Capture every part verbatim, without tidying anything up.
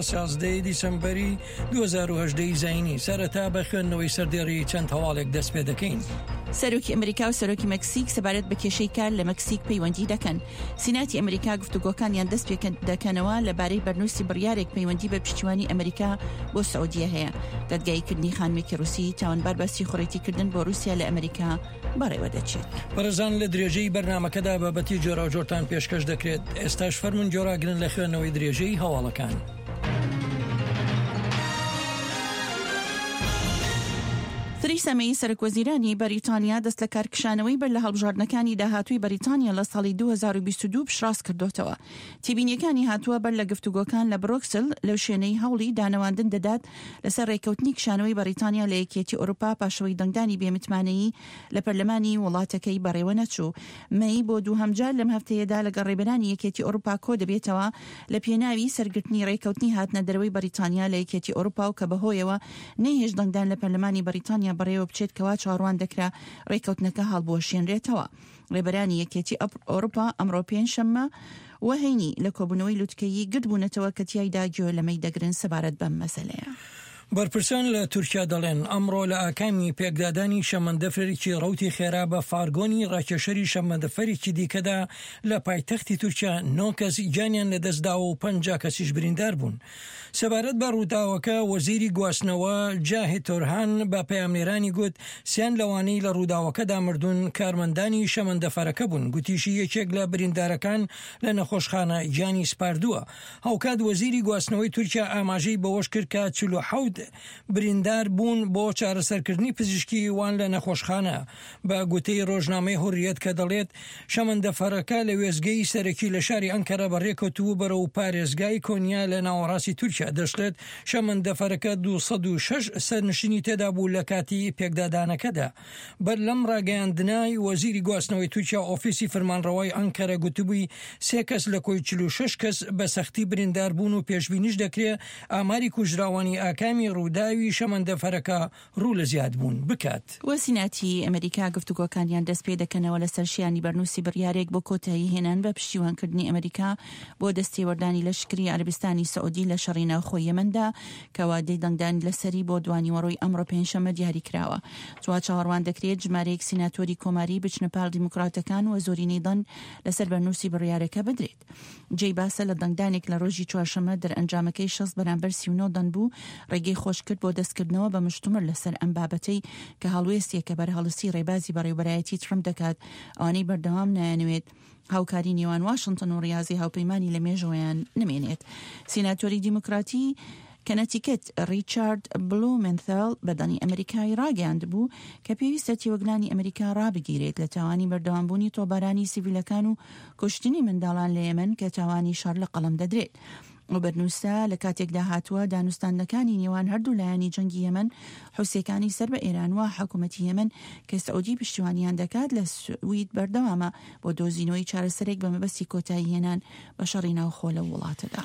سیازدە دیسەمبەری دوو هەزار و هەژدە ی زایینی. سەرەتا بە خوێندنەوەی سەردێڕی چەند هەواڵێک دەست پێ دەکەین. سەرۆکی ئەمریکا و سەرۆکی مەکسیک سەبارەت بە کێشەی کار لە مەکسیک پەیوەندی دەکەن. سیناتی ئەمریکا گفتوگۆکانیان دەست پێ دەکەنەوە لەبارەی بەرنووسی بڕیارێک پەیوەندی بە پشتیوانی ئەمریکا بۆ سعودیە هەیە. دادگاییکردنی خانمێکی ڕووسی تاوانبار بە سیخوڕێتیکردن بۆ رووسیا لە ئەمریکا بەڕێوە دەچێت. بەڕێزان لە درێژەی بەرنامەکەدا بابەتی جۆراوجۆرتان پێشکەش دەکرێت. ئێستاش فەرموون گۆڕاگرن لە خوێندنەوەی درێژەی هەواڵەکان. تریسا مەی سەرۆک وەزیرانی بەریتانیا دەست لە کارکشانەوەی بەر لە هەڵبژاردنەکانی داهاتووی بەریتانیا لە ساڵی دوو هەزار و بیست و دوو پشتڕاست کردوتەوە. تێبینیەکانی هاتووە بەر لە گفتوگۆکان لە برۆکسل لەو شوێنەی هەوڵی دانەواندن دەدات لەسەر ڕێککەوتنی کشانەوەی بەریتانیا لە یەکێتی ئەوروپا پاشەوەی دەنگدانی بێمتمانەیی لە پەرلەمانی وڵاتەکەی بەڕێوە نەچوو. مەی بۆ دووهەم جار لەم هەفتەیەدا لەگەڵ ڕێبەرانی یەکێتی ئەوروپا کۆ دەبێتەوە لە پێناوی سەرگرتنی ڕێککەوتنی هاتنە دەرەوەی بەریتانیا لە یەکێتی ئەوروپا و کە بەهۆیەوە نەیهێشت دەنگدان لە پەرلەمانی بەریتانیا بەڕێوە بچێت کەوا چاوەڕوان دەکرا ڕێککەوتنەکە هەڵبوەشێنرێتەوە. ڕێبەرانی یەکێتی ئەوروپا ئەمڕۆ پێنجشەممە و هەینی لە کۆبوونەوەی لوتکەیی گردبوونەتەوە کە تیایدا گوێ لەمەی دەگرن سەبارەت بەم مەسەلەیە. بەرپرسان لە تورکیا دەڵێن ئەمڕۆ لە ئاکامی پێکدادانی شەمەندەفەرێکی ڕەوتی خێرا بە فارگۆنی ڕاکێشەری شەمەندەفەرێکی دیکەدا لە پایتەختی تورکیا نۆ کەس گیانیان لەدەستداوە و پەنجا کەسیش بریندار بوون. سەبارەت بە ڕووداوەکە وەزیری گواستنەوە جاهید تۆرهان بە پەیامنێرانی گوت سیان لەوانەی لە ڕووداوەکەدا مردوون کارمەندانی شەمەندەفەرەکە بوون. گوتیشی یەکێک لە بریندارەکان لە نەخۆشخانە گیانی سپاردووە. هاوکات وەزیری گواستنەوەی تورکیا ئاماژەی بەوەش کرد کە چل و حەوت بریندار بوون بۆ چارەسەرکردنی پزیشکی وان لە نەخۆشخانە. بە گوتەی ڕۆژنامەی هوریەت کە دەڵێت شەمەندەفەرەکە لە وێستگەی سەرەکی لە شاری ئەنکەرە بەڕێکەوتبوو بەرەو پارێزگای کۆنیا لە ناوەڕاستی تورکیا. دەشڵێت شەمەندەفەرەکە دوو سەد و شەش سەرنشینی تێدا بوو لە کاتی پێکدادانەکەدا. بەر لەم ڕاگەیاندنای وەزیری گواستنەوەی تورکیا ئۆفیسی فەرمانڕەوای ئەنکەرە گوتبووی سێ کەس لە کۆی چل و شەش کەس بە سەختی بریندار بوون و پێشبینیش دەکرێت ئاماری کوژراوانی ئاکامی ڕووداوی شەمەندەفەرەکە ڕوو لە زیاد بوون بکات. وەسیناتی ئەمریکا گفتوگۆکانیان دەست پێ دەکەنەوە لەسەر شیانی بەرنووسی بڕیارێک بۆ کۆتایی هێنان بە پشتیوانکردنی ئەمریکا بۆ دەستێوەردانی لەشکری عەرەبستانی سعودی لە شەڕی ناوخۆی یەمەندا کە وادەی دەنگدان لەسەری بۆ دوانیوەڕۆی ئەمڕۆ پێنجشەممە دیاری کراوە. وا چاوەڕوان دەکرێت ژمارەیەک سیناتۆری کۆماری بچنە پاڵ دیموکراتەکان و زۆرینەی دەنگ لەسەر بەرنووسی بڕیارەکە بدرێت. جێی باسە لە دەنگدانێک لە ڕۆژی چوارشەممە دەرئەنجامەکەی شەست بەرامبەر سی و نۆ دەنگ بوو ڕێگەی خۆش کرد بۆ دەستکردنەوە بە مشتومڕ لەسەر ئەم بابەتەی کە هەڵوێستێکە بەرهەڵستی ڕێبازی بەڕێوبەرایەتی ترەمپ دەکات ئەوانەی بەردەوام نایانەوێت هاوکاری نێوان واشنگتن و ڕیازی هاوپەیمانی لە مێژەوەیان نمێنێت. سیناتۆری دیموکراتی کەنەتیکت ڕیچارد بلومنثال بەدەنی ئەمریکای ڕاگەیاند بوو کە پێویستە تێوەگلانی ئەمریکا ڕابگیرێت لە تاوانی بەردەوامبوونی تۆبارانی سیڤیلەکان و کوشتنی منداڵان لە یەمەن کە تاوانی شەڕ لە قەڵەم دەدرێت. و بەرنووسە لە کاتێکدا هاتووە دانوستاندنەکانی نێوان هەردوو لایەنی جەنگی یەمەن حوسیەکانی سەر بە ئێران و حکوومەتی یەمەن کە سعودی پشتیوانیان دەکات لە سوید بەردەوامە بۆ دۆزینەوەی چارەسەرێک بە مەبەستی کۆتایی هێنان بە شەڕی ناوخۆ لەو وڵاتەدا.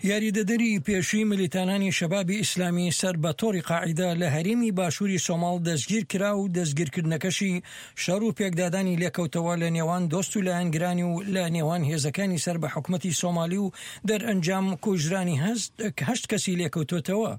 یاریدەدەری پێشووی ملیتانانی شەبابی ئیسلامی سەر بە تۆڕی قاعیدە لە هەرێمی باشووری سۆماڵ دەستگیر کرا و دەستگیرکردنەکەشی شەڕ و پێکدادانی لێکەوتەوە لە نێوان دۆست و لایەنگرانی و لە نێوان هێزەکانی سەر بە حکومەتی سۆمالی و دەرئەنجام کوژرانی هەشت کەسی لێکەوتوتەوە.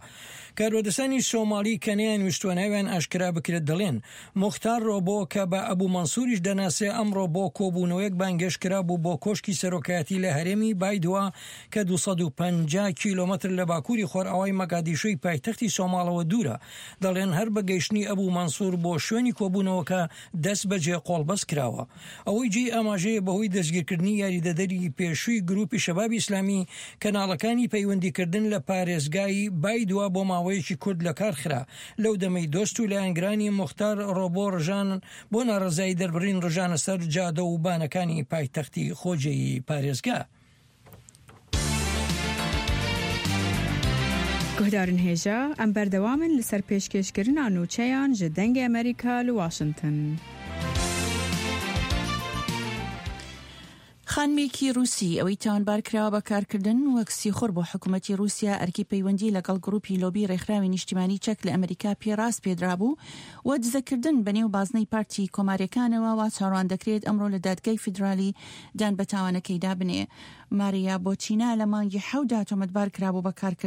کاربەدەستانی سۆمالی کە نەیانویستووە ناویان ئاشکرا بکرێت دەڵێن موختار ڕۆبۆ کە بە ئەبوو مەنسووریش دەناسرێ ئەمڕۆ بۆ کۆبوونەوەیەک بانگێشت کرا بوو بۆ کۆشکی سەرۆکایەتی لە هەرێمی بایدوا کە دوو سەد و پەنجا کیلۆمەتر لە باکووری خۆرئاوای مەگادیشۆی پایتەختی سۆماڵەوە دوورە. دەڵێن هەر بە گەیشتنی ئەبوو مەنسوور بۆ شوێنی کۆبوونەوەکە دەست بەجێ قۆڵبەست کراوە. ئەوەی جێی ئاماژەیە بەهۆی دەستگیرکردنی یاریدەدەری پێشووی گروپی شەبابی ئیسلامی کەناڵەکانی پەیوەندیکردن لە پارێزگای بایدوا بۆ ماوەیەکی کورت لەکار خرا لەو دەمەی دۆست و لایەنگرانی موختار ڕۆبۆ ڕژان بۆ ناڕەزایی دەربڕین ڕژانە سەر جادە و بانەکانی پایتەختی خۆجێی پارێزگا. گوهدارن هێژا ئەم بەردەوامن لەسەر پێشکێشکردنا نوچەیان ji دەنگê ئەمریکا لە واشنگتن. خانمێکی رووسی ئەوەی تاوانبار کراوە بە کارکردن وەک سیخوڕ بۆ حکوومەتی رووسیا، ئەرکی پەیوەندی لەگەڵ گروپی لۆبی رێکخراوی نیشتیمانی چەک لە ئەمریکا پێ ڕاسپێدرابوو و دزەکردن بەنێو بازنەی پارتی کۆماریەکانەوە، وا چاوەڕوان دەکرێت ئەمڕۆ لە دادگای فیدرالی دان بە تاوانەکەیدا بنێ. ماریا بۆتینا لە مانگی حەوتدا تۆمەتبار کرابوو بە کارکردن